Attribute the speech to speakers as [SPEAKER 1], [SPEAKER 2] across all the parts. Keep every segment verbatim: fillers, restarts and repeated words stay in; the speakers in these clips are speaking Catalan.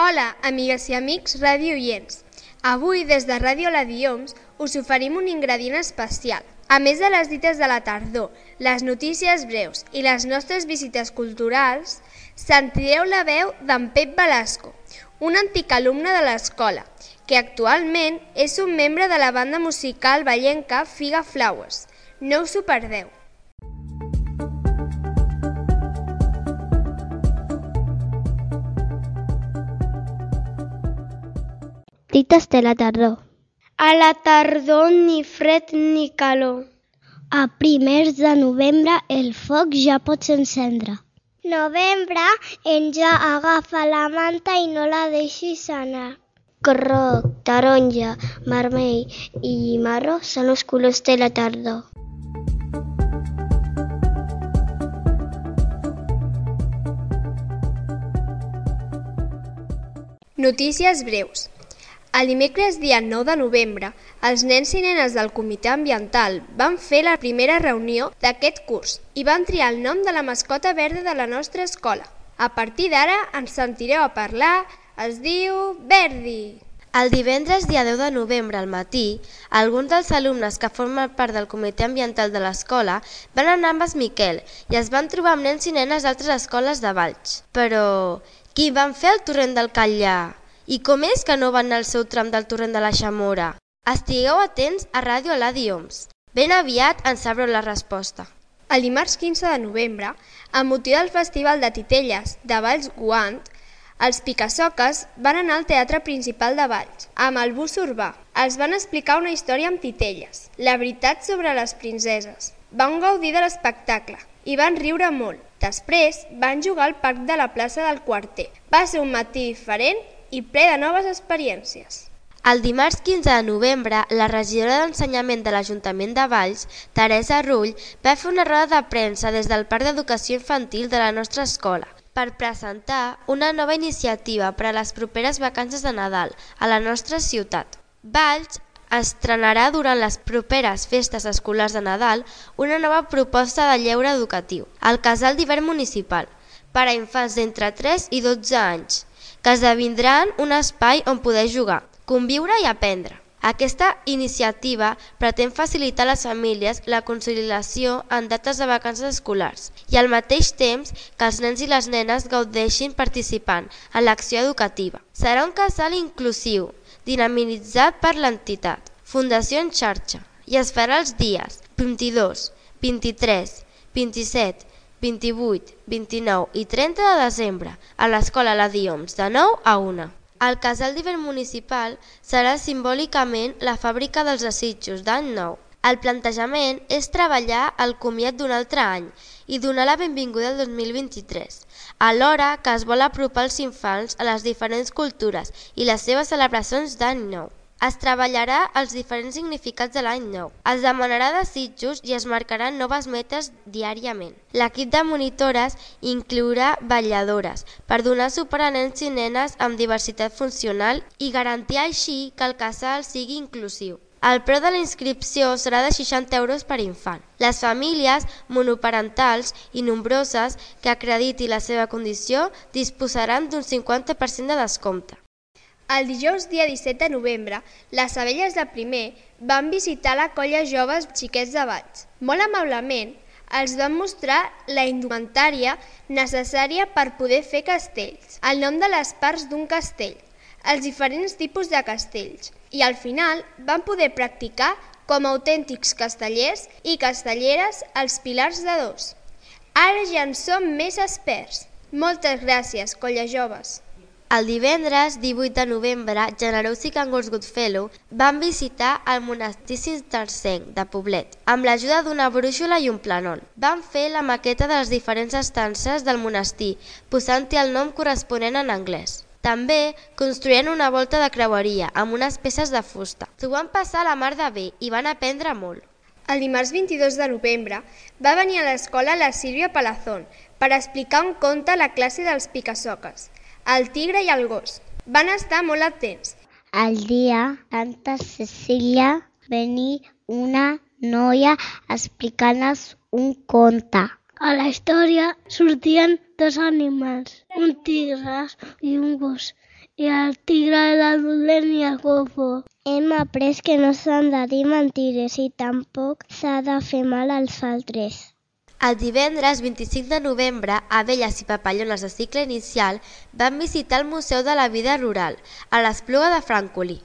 [SPEAKER 1] Hola, amigues i amics radioients. Avui, des de Ràdio La Dioms, us oferim un ingredient especial. A més de les dites de la tardor, les notícies breus i les nostres visites culturals, sentireu la veu d'en Pep Velasco, un antic alumne de l'escola, que actualment és un membre de la banda musical vallenca Figa Flowers. No us ho perdeu.
[SPEAKER 2] Dites de la tardor.
[SPEAKER 3] A la tardor ni fred ni calor.
[SPEAKER 2] A primers de novembre el foc ja pots encendre.
[SPEAKER 3] Novembre en ja agafa la manta i no la deixis anar.
[SPEAKER 2] Groc, taronja, vermell i marró són els colors de la tardor.
[SPEAKER 1] Notícies breus. El dimecres dia nou de novembre, els nens i nenes del Comitè Ambiental van fer la primera reunió d'aquest curs i van triar el nom de la mascota verda de la nostra escola. A partir d'ara ens sentireu a parlar, es diu Verdi.
[SPEAKER 4] El divendres dia deu de novembre al matí, alguns dels alumnes que formen part del Comitè Ambiental de l'escola van anar amb es Miquel i es van trobar amb nens i nenes d'altres escoles de Valls. Però qui van fer el torrent del Catllà? I com és que no van anar al seu tram del torrent de la Xamora? Estigueu atents a Ràdio La Dioms. Ben aviat en sabreu la resposta.
[SPEAKER 1] El dimarts quinze de novembre, amb motiu del Festival de Titelles de Valls Guant, els Picasoques van anar al Teatre Principal de Valls, amb el bus urbà. Els van explicar una història amb titelles, la veritat sobre les princeses. Van gaudir de l'espectacle i van riure molt. Després van jugar al parc de la plaça del Quarter. Va ser un matí diferent i ple de noves experiències.
[SPEAKER 4] El dimarts quinze de novembre, la regidora d'Ensenyament de l'Ajuntament de Valls, Teresa Rull, va fer una roda de premsa des del Parc d'Educació Infantil de la nostra escola per presentar una nova iniciativa per a les properes vacances de Nadal a la nostra ciutat. Valls estrenarà durant les properes festes escolars de Nadal una nova proposta de lleure educatiu, el Casal d'Hivern Municipal, per a infants d'entre tres i dotze anys, que esdevindran un espai on poder jugar, conviure i aprendre. Aquesta iniciativa pretén facilitar a les famílies la conciliació en dates de vacances escolars i al mateix temps que els nens i les nenes gaudeixin participant en l'acció educativa. Serà un casal inclusiu, dinamitzat per l'entitat Fundació en Xarxa i es farà els dies vint-i-dos, vint-i-tres, vint-i-set, vint-i-vuit, vint-i-nou i trenta de desembre a l'Escola La Dioms de nou a una. El Casal d'Hivern Municipal serà simbòlicament la fàbrica dels desitjos d'any nou. El plantejament és treballar el comiat d'un altre any i donar la benvinguda al dos mil vint-i-tres, alhora que es vol apropar els infants a les diferents cultures i les seves celebracions d'any nou. Es treballarà els diferents significats de l'any nou. Es demanarà desitjos i es marcaran noves metes diàriament. L'equip de monitores inclourà vetlladores per donar suport a nens i nenes amb diversitat funcional i garantir així que el casal sigui inclusiu. El preu de la inscripció serà de seixanta euros per infant. Les famílies monoparentals i nombroses que acrediti la seva condició disposaran d'un cinquanta per cent de descompte.
[SPEAKER 1] El dijous dia disset de novembre, les abelles de primer van visitar la colla Joves Xiquets de Valls. Molt amablement, els van mostrar la indumentària necessària per poder fer castells, el nom de les parts d'un castell, els diferents tipus de castells i al final van poder practicar com a autèntics castellers i castelleres els pilars de dos. Ara ja en som més experts. Moltes gràcies, colla joves.
[SPEAKER 4] El divendres divuit de novembre, Generós i Cangurs Goodfellow van visitar el monestir cistercenc de Poblet amb l'ajuda d'una brúixola i un plànol. Van fer la maqueta de les diferents estances del monestir, posant-hi el nom corresponent en anglès. També construïen una volta de creueria amb unes peces de fusta. S'ho van passar a la mar de bé i van aprendre molt.
[SPEAKER 1] El dimarts vint-i-dos de novembre va venir a l'escola la Sílvia Palazón per explicar un conte a la classe dels Picasoques, el tigre i el gos. Van estar molt atents.
[SPEAKER 2] El dia Santa Cecília venia una noia explicant-nos un conte. A la història sortien dos animals, un tigre i un gos,
[SPEAKER 3] i el tigre, el dolent i el golfo. Hem après que no s'han de dir mentides i tampoc s'ha de fer mal als altres.
[SPEAKER 4] El divendres vint-i-cinc de novembre, Abelles i Papallones de cicle inicial van visitar el Museu de la Vida Rural, a l'Espluga de Francolí.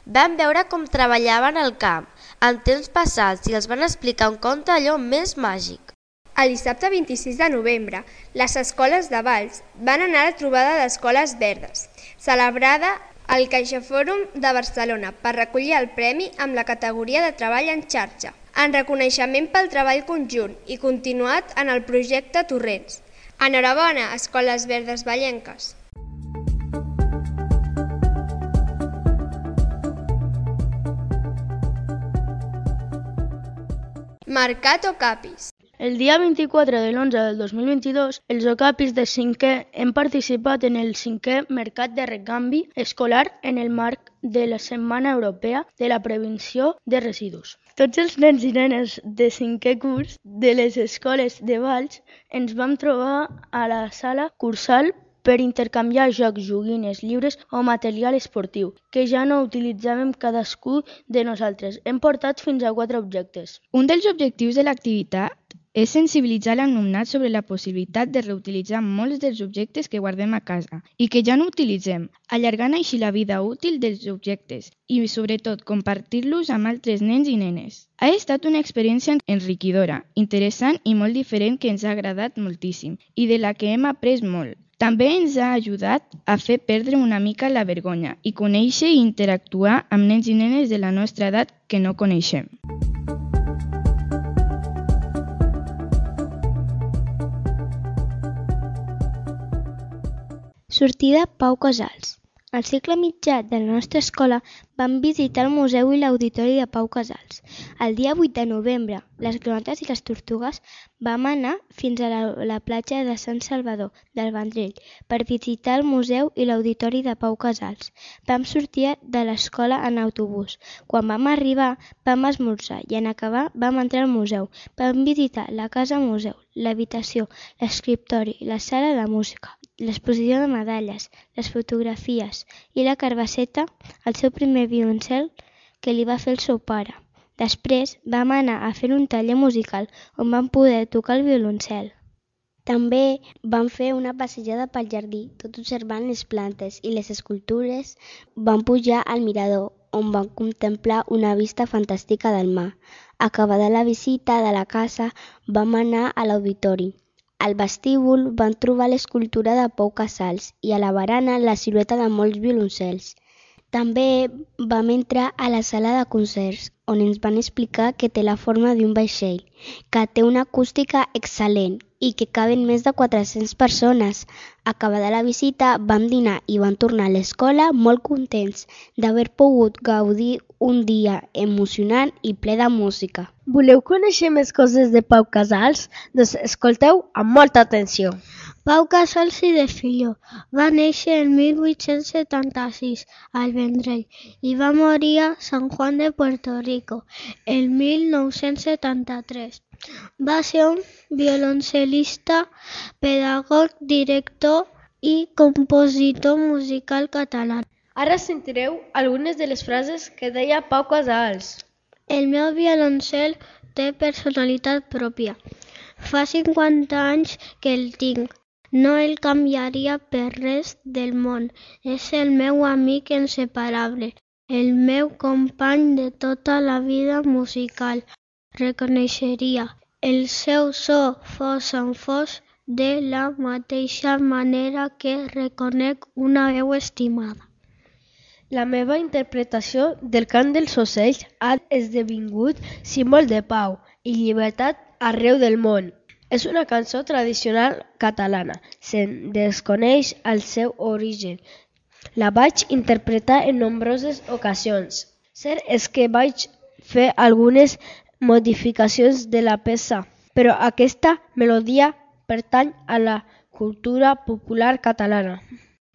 [SPEAKER 4] Van veure com treballaven al camp, en temps passats, i els van explicar un conte allò més màgic.
[SPEAKER 1] El dissabte vint-i-sis de novembre, les escoles de Valls van anar a la trobada d'escoles verdes, celebrada al CaixaForum de Barcelona per recollir el premi amb la categoria de treball en xarxa, en reconeixement pel treball conjunt i continuat en el projecte Torrents. Enhorabona, Escoles Verdes Vallenques! Mercat Ocapis.
[SPEAKER 5] El dia vint-i-quatre de l'onze del dos mil vint-i-dos, els Ocapis de cinquè hem participat en el cinquè Mercat de Recanvi Escolar en el marc de la Setmana Europea de la Prevenció de Residus. Tots els nens i nenes de cinquè curs de les escoles de Valls ens vam trobar a la sala cursal per intercanviar jocs, joguines lliures o material esportiu, que ja no utilitzàvem cadascú de nosaltres. Hem portat fins a quatre objectes.
[SPEAKER 6] Un dels objectius de l'activitat és sensibilitzar l'alumnat sobre la possibilitat de reutilitzar molts dels objectes que guardem a casa i que ja no utilitzem, allargant així la vida útil dels objectes i, sobretot, compartir-los amb altres nens i nenes. Ha estat una experiència enriquidora, interessant i molt diferent que ens ha agradat moltíssim i de la que hem après molt. També ens ha ajudat a fer perdre una mica la vergonya i conèixer i interactuar amb nens i nenes de la nostra edat que no coneixem.
[SPEAKER 2] Sortida Pau Casals. Al segle mitjà de la nostra escola vam visitar el museu i l'auditori de Pau Casals. El dia vuit de novembre, les granotes i les tortugues vam anar fins a la, la platja de Sant Salvador del Vendrell per visitar el museu i l'auditori de Pau Casals. Vam sortir de l'escola en autobús. Quan vam arribar vam esmorzar i en acabar vam entrar al museu. Vam visitar la casa museu, l'habitació, l'escriptori, la sala de música, l'exposició de medalles, les fotografies i la carbasseta, el seu primer violoncel que li va fer el seu pare. Després vam anar a fer un taller musical on vam poder tocar el violoncel. També vam fer una passejada pel jardí, tot observant les plantes i les escultures. Vam pujar al mirador, on vam contemplar una vista fantàstica del mar. Acabada la visita de la casa, vam anar a l'auditori. Al vestíbul van trobar l'escultura de Pau Casals i a la barana la silueta de molts violoncels. També vam entrar a la sala de concerts, on ens van explicar que té la forma d'un vaixell, que té una acústica excel·lent i que caben més de quatre-centes persones. Acabada la visita, vam dinar i vam tornar a l'escola molt contents d'haver pogut gaudir un dia emocionant i ple de música.
[SPEAKER 5] Voleu conèixer més coses de Pau Casals? Doncs escolteu amb molta atenció.
[SPEAKER 3] Pau Casals i de Filho va néixer en mil vuit-cents setanta-sis al Vendrell i va morir a San Juan de Puerto Rico el mil nou-cents setanta-tres. Va ser un violoncel·lista, pedagog, director i compositor musical català.
[SPEAKER 5] Ara sentireu algunes de les frases que deia Pau Casals.
[SPEAKER 3] El meu violoncel té personalitat pròpia. Fa cinquanta anys que el tinc. No el canviaria per res del món. És el meu amic inseparable, el meu company de tota la vida musical. Reconeixeria el seu so fos en fos de la mateixa manera que reconec una veu estimada.
[SPEAKER 5] La meva interpretació del cant dels ocells ha esdevingut símbol de pau i llibertat arreu del món. És una cançó tradicional catalana. Se'n desconeix el seu origen. La vaig interpretar en nombroses ocasions. Cert és que vaig fer algunes modificacions de la peça, però aquesta melodia pertany a la cultura popular catalana.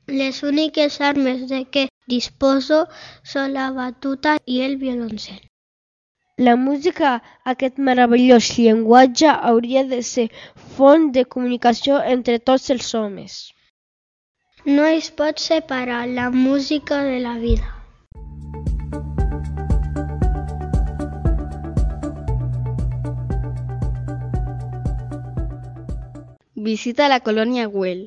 [SPEAKER 3] Les úniques armes de què disposo són la batuta i el violoncel.
[SPEAKER 5] La música, aquest meravellós llenguatge, hauria de ser font de comunicació entre tots els homes.
[SPEAKER 3] No es pot separar la música de la vida.
[SPEAKER 2] Visita a la colònia Güell.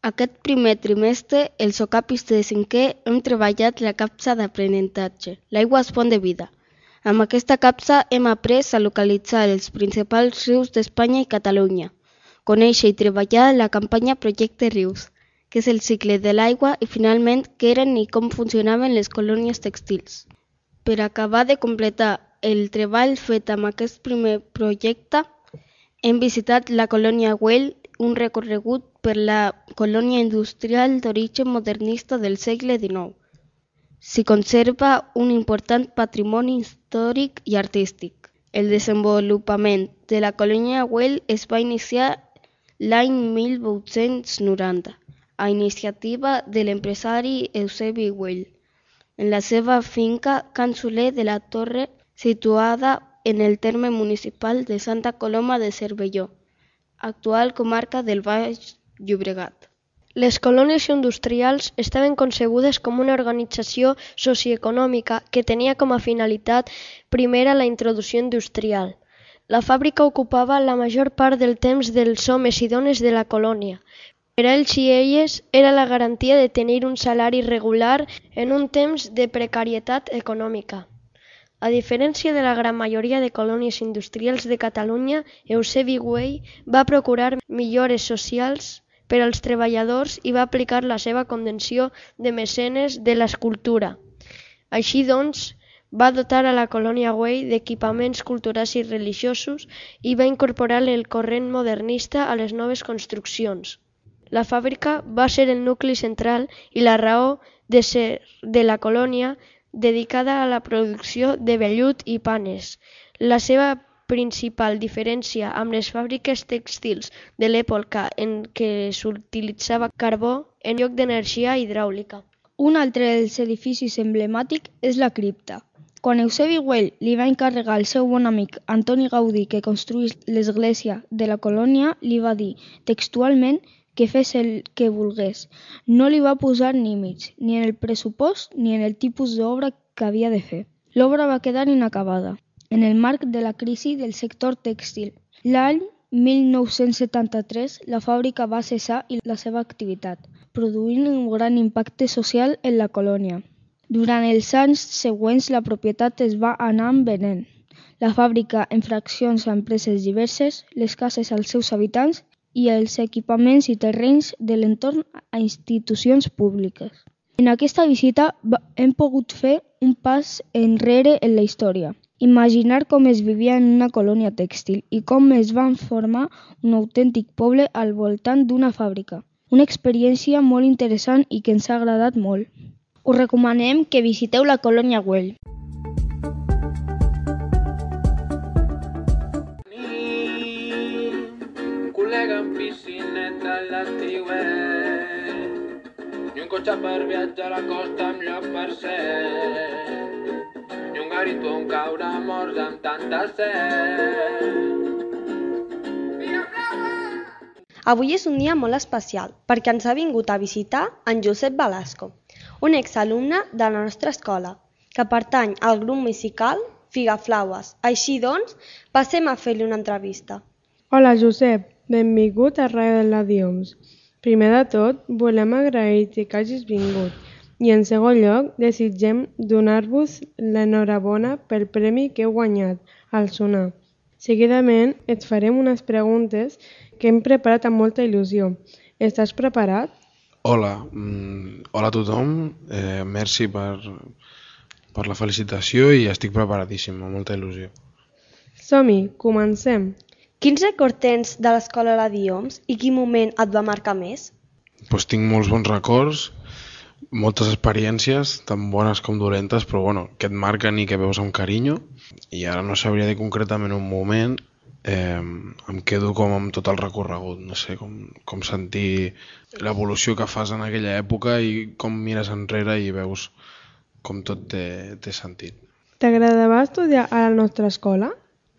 [SPEAKER 2] Aquest primer trimestre, els ocapis de cinquè hem treballat la capsa d'aprenentatge. L'aigua és font de vida. Amb aquesta capsa hem après a localitzar els principals rius d'Espanya i Catalunya, conèixer i treballar la campanya Projecte Rius, que és el cicle de l'aigua i finalment què eren i com funcionaven les colònies tèxtils. Per acabar de completar el treball fet amb aquest primer projecte, hem visitat la colònia Güell, un recorregut per la colònia industrial d'origen modernista del segle dinou. S'hi conserva un important patrimoni històric i artístic. El desenvolupament de la colònia Güell es va iniciar l'any mil vuit-cents noranta, a iniciativa de l'empresari Eusebi Güell, en la seva finca Can Soler de la Torre, situada en el terme municipal de Santa Coloma de Cervelló, actual comarca del Baix Llobregat.
[SPEAKER 7] Les colònies industrials estaven concebudes com una organització socioeconòmica que tenia com a finalitat primera la introducció industrial. La fàbrica ocupava la major part del temps dels homes i dones de la colònia. Per a ells i elles era la garantia de tenir un salari regular en un temps de precarietat econòmica. A diferència de la gran majoria de colònies industrials de Catalunya, Eusebi Güell va procurar millores socials per als treballadors i va aplicar la seva condició de mecenes de l'escultura. Així doncs, va dotar a la colònia Güell d'equipaments culturals i religiosos i va incorporar el corrent modernista a les noves construccions. La fàbrica va ser el nucli central i la raó de ser de la colònia, dedicada a la producció de vellut i panes. La seva principal diferència amb les fàbriques tèxtils de l'època en què s'utilitzava carbó en lloc d'energia hidràulica.
[SPEAKER 5] Un altre dels edificis emblemàtics és la cripta. Quan Eusebi Güell li va encarregar al seu bon amic Antoni Gaudí que construís l'església de la colònia, li va dir textualment que fes el que volgués. No li va posar límits, ni en el pressupost ni en el tipus d'obra que havia de fer. L'obra va quedar inacabada, en el marc de la crisi del sector tèxtil. L'any mil nou-cents setanta-tres la fàbrica va cessar la seva activitat, produint un gran impacte social en la colònia. Durant els anys següents la propietat es va anar venent. La fàbrica en fraccions a empreses diverses, les cases als seus habitants i els equipaments i terrenys de l'entorn a institucions públiques. En aquesta visita hem pogut fer un pas enrere en la història, imaginar com es vivia en una colònia tèxtil i com es va formar un autèntic poble al voltant d'una fàbrica. Una experiència molt interessant i que ens ha agradat molt. Us recomanem que visiteu la colònia Güell.
[SPEAKER 8] Col·lega en piscineta a l'estiuet i un cotxe per viatjar a la costa amb lloc per ser i un garito on caure morts amb tanta set.
[SPEAKER 9] Avui és un dia molt especial perquè ens ha vingut a visitar en Josep Velasco, un exalumne de la nostra escola, que pertany al grup musical Figaflaues. Així doncs, passem a fer-li una entrevista.
[SPEAKER 10] Hola Josep, benvingut a Ràdio de la Dioms. Primer de tot, volem agrair-te que hagis vingut i en segon lloc desitgem donar-vos l'enhorabona pel premi que heu guanyat al sonar. Seguidament et farem unes preguntes que hem preparat amb molta il·lusió. Estàs preparat?
[SPEAKER 11] Hola, mm, hola a tothom, eh, merci per, per la felicitació i estic preparadíssim, amb molta il·lusió.
[SPEAKER 10] Som-hi, comencem.
[SPEAKER 9] Quins records tens de l'escola La Dioms i quin moment et va marcar més?
[SPEAKER 11] Pues tinc molts bons records, moltes experiències, tan bones com dolentes, però bueno, que et marquen i que veus amb carinyo. I ara no sabria dir concretament un moment, eh, em quedo com amb tot el recorregut, no sé, com, com sentir l'evolució que fas en aquella època i com mires enrere i veus com tot té, té sentit.
[SPEAKER 10] T'agradava estudiar a la nostra escola?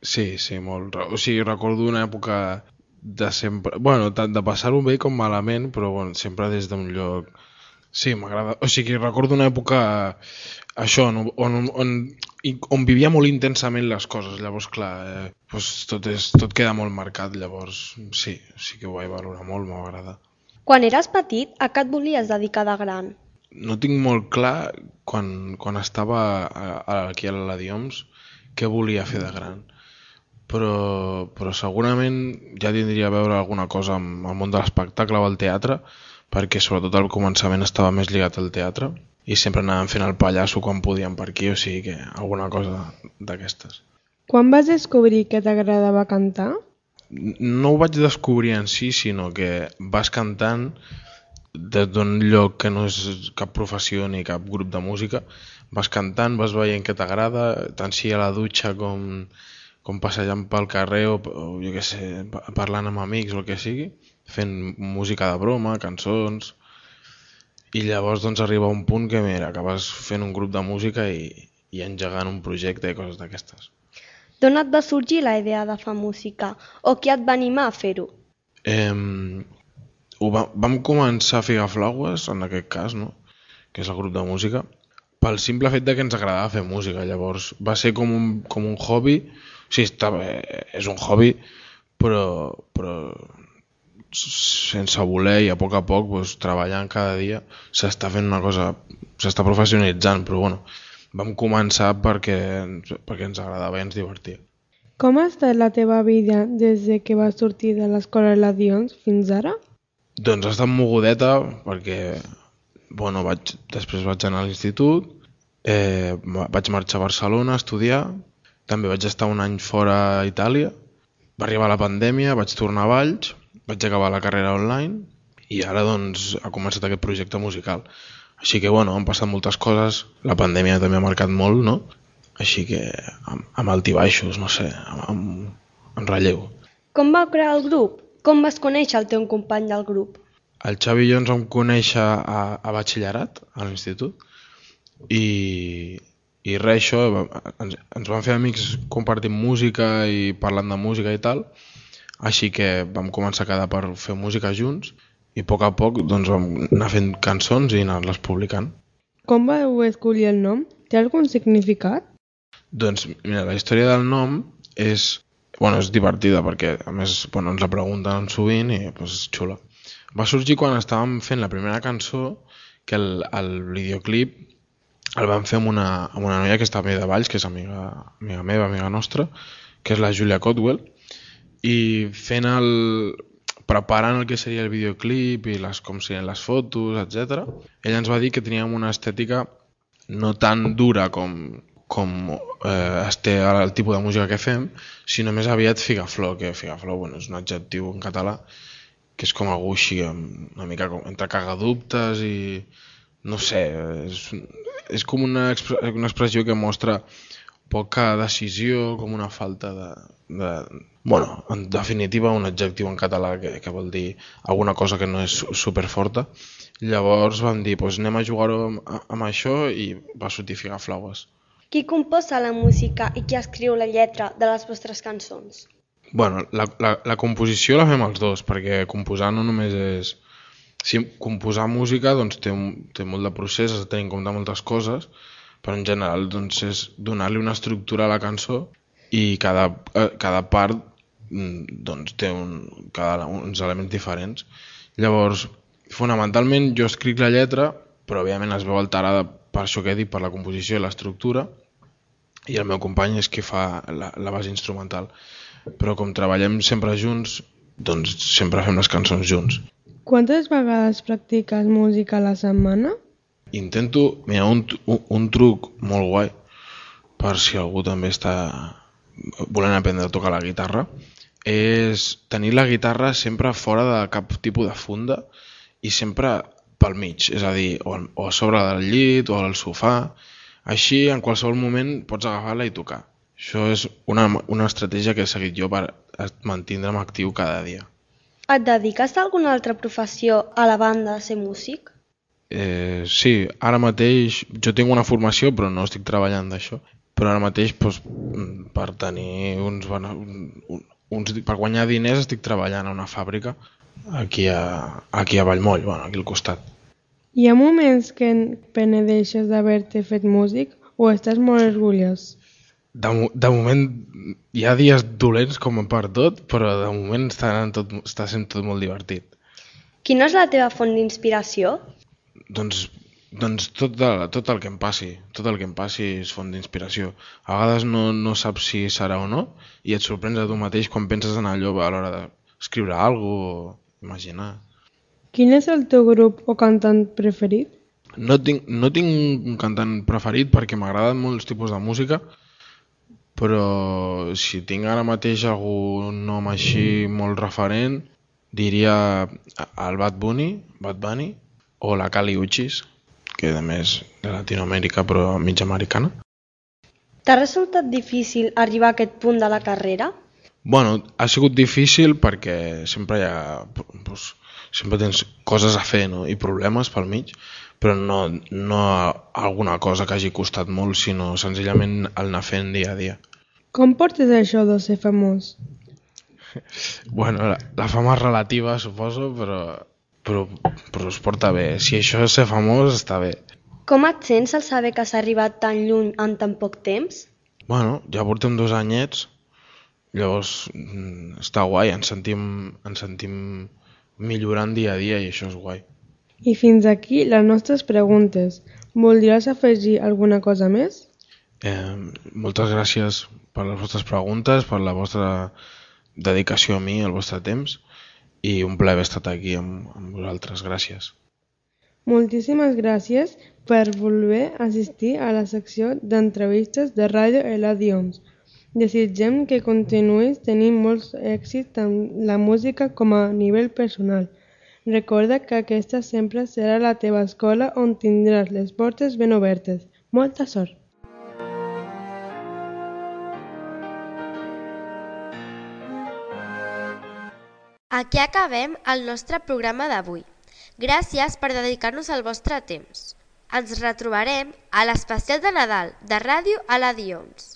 [SPEAKER 11] Sí, sí, molt. O sigui, recordo una època de sempre... Bueno, tant de passar-ho bé com malament, però bueno, sempre des d'un lloc... Sí, m'agrada... O sigui, recordo una època, això, on, on, on, on vivia molt intensament les coses. Llavors, clar, eh, doncs tot, és, tot queda molt marcat. Llavors, sí, sí que ho vaig valorar molt, m'agrada.
[SPEAKER 9] Quan eres petit, a què et volies dedicar de gran?
[SPEAKER 11] No tinc molt clar, quan, quan estava a, a, aquí a la Dioms, què volia fer de gran. Però, però segurament ja tindria a veure alguna cosa amb el món de l'espectacle o el teatre, perquè sobretot al començament estava més lligat al teatre i sempre anàvem fent el pallasso quan podíem per aquí, o sigui que alguna cosa d'aquestes.
[SPEAKER 10] Quan vas descobrir que t'agradava cantar?
[SPEAKER 11] No ho vaig descobrir en si, sinó que vas cantant des d'un lloc que no és cap professió ni cap grup de música, vas cantant, vas veient que t'agrada, tant si a la dutxa com, com passejant pel carrer o, o jo què sé, parlant amb amics o el que sigui, fent música de broma, cançons, i llavors doncs arriba un punt que mira, acabes fent un grup de música i, i engegant un projecte i coses d'aquestes.
[SPEAKER 9] D'on et va sorgir la idea de fer música o qui et va animar a fer-ho?
[SPEAKER 11] Eh, ho va, vam començar a Figaflaues, en aquest cas, no? Que és el grup de música, pel simple fet de que ens agradava fer música. Llavors va ser com un, com un hobby, o sigui, està, és un hobby, però... però sense voler i a poc a poc doncs, treballant cada dia s'està fent una cosa, s'està professionalitzant, però bueno, vam començar perquè, perquè ens agradava i ens divertia.
[SPEAKER 10] Com ha estat la teva vida des de que vas sortir de l'escola de la Dioms fins ara?
[SPEAKER 11] Doncs ha estat mogudeta perquè bueno, vaig, després vaig anar a l'institut, eh, vaig marxar a Barcelona a estudiar, també vaig estar un any fora a Itàlia, va arribar la pandèmia, vaig tornar a Valls, vaig acabar la carrera online i ara doncs ha començat aquest projecte musical. Així que bueno, han passat moltes coses, la pandèmia també ha marcat molt, no? Així que amb, amb altibaixos, no sé, amb, amb, amb relleu.
[SPEAKER 9] Com va crear el grup? Com vas conèixer el teu company del grup?
[SPEAKER 11] El Xavi i jo ens vam conèixer a, a batxillerat, a l'institut, i, i res, això, ens, ens vam fer amics compartint música i parlant de música i tal. Així que vam començar a quedar per fer música junts i a poc a poc doncs, vam anar fent cançons i anar-les publicant.
[SPEAKER 10] Com vau escollir el nom? Té algun significat?
[SPEAKER 11] Doncs mira, la història del nom és, bueno, és divertida perquè a més bueno, ens la pregunten sovint i doncs, és xula. Va sorgir quan estàvem fent la primera cançó, que el, el videoclip el vam fer amb una, amb una noia que està a mi de Valls, que és amiga, amiga meva, amiga nostra, que és la Júlia Cotwell, i fent el... preparant el que seria el videoclip i les, com serien les fotos, etcètera. Ella ens va dir que teníem una estètica no tan dura com, com eh, es té el tipus de música que fem, sinó més aviat figaflor, que figaflor bueno, és un adjectiu en català que és com algú així, una mica com, entre cagadubtes i no sé, és, és com una, expre una expressió que mostra poca decisió, com una falta de, de... Bueno, en definitiva, un adjectiu en català que, que vol dir alguna cosa que no és superforta. Llavors vam dir, doncs anem a jugar-ho amb, amb això i va sortir Figaflaues.
[SPEAKER 9] Qui composa la música i qui escriu la lletra de les vostres cançons?
[SPEAKER 11] Bueno, la, la, la composició la fem els dos, perquè composar no només és... Si composar música doncs, té, un, té molt de procés, has de tenir en compte moltes coses, però en general doncs, és donar-li una estructura a la cançó i cada, cada part doncs, té un, cada, uns elements diferents. Llavors, fonamentalment jo escric la lletra, però òbviament es veu alterada per això que he dit, per la composició i l'estructura, i el meu company és qui fa la, la base instrumental. Però com treballem sempre junts, doncs sempre fem les cançons junts.
[SPEAKER 10] Quantes vegades practiques música a la setmana?
[SPEAKER 11] Intento, mira, un, un, un truc molt guai, per si algú també està volent aprendre a tocar la guitarra, és tenir la guitarra sempre fora de cap tipus de funda i sempre pel mig, és a dir, o, o a sobre del llit o al sofà, així en qualsevol moment pots agafar-la i tocar. Això és una, una estratègia que he seguit jo per mantindre'm actiu cada dia.
[SPEAKER 9] Et dediques a alguna altra professió a la banda de ser músic?
[SPEAKER 11] Eh, sí, ara mateix jo tinc una formació però no estic treballant d'això, però ara mateix doncs, per tenir uns, un, uns, per guanyar diners estic treballant a una fàbrica aquí a, aquí a Vallmoll, bueno, aquí al costat.
[SPEAKER 10] Hi ha moments que penedeixes d'haver-te fet músic o estàs molt orgullós?
[SPEAKER 11] De, de moment hi ha dies dolents com per tot, però de moment està, tot, està sent tot molt divertit.
[SPEAKER 9] Quina és la teva font d'inspiració?
[SPEAKER 11] Doncs, doncs tot, de, tot el que em passi, tot el que em passi és font d'inspiració. A vegades no, no saps si serà o no i et sorprens a tu mateix quan penses en allò a l'hora d'escriure alguna cosa o imaginar.
[SPEAKER 10] Quin és el teu grup o cantant preferit?
[SPEAKER 11] No tinc, no tinc un cantant preferit perquè m'agraden molts tipus de música, però si tinc ara mateix algun nom així molt referent, diria el Bad Bunny, Bad Bunny o la Kali Uchis, que a més de Latinoamèrica però mig americana.
[SPEAKER 9] T'ha resultat difícil arribar a aquest punt de la carrera?
[SPEAKER 11] Bueno, ha sigut difícil perquè sempre hi ha, doncs, sempre tens coses a fer, no? I problemes pel mig, però no, no alguna cosa que hagi costat molt, sinó senzillament el anar fent dia a dia.
[SPEAKER 10] Com portes això de ser famós?
[SPEAKER 11] Bueno, la, la fama és relativa, suposo, però, però, però es porta bé. Si això és ser famós, està bé.
[SPEAKER 9] Com et sents al saber que has arribat tan lluny en tan poc temps?
[SPEAKER 11] Bueno, ja portem dos anyets, llavors està guai, ens sentim, ens sentim millorant dia a dia i això és guai.
[SPEAKER 10] I fins aquí les nostres preguntes. Voldries afegir alguna cosa més?
[SPEAKER 11] Eh, moltes gràcies per les vostres preguntes, per la vostra dedicació a mi, el vostre temps, i un plaer haver estat aquí amb, amb vosaltres. Gràcies.
[SPEAKER 10] Moltíssimes gràcies per voler assistir a la secció d'entrevistes de Ràdio Eladions. Desitgem que continuïs tenint molts èxits amb la música com a nivell personal. Recorda que aquesta sempre serà la teva escola on tindràs les portes ben obertes. Molta sort!
[SPEAKER 4] Aquí acabem el nostre programa d'avui. Gràcies per dedicar-nos el vostre temps. Ens retrobarem a l'especial de Nadal de Ràdio Eladions.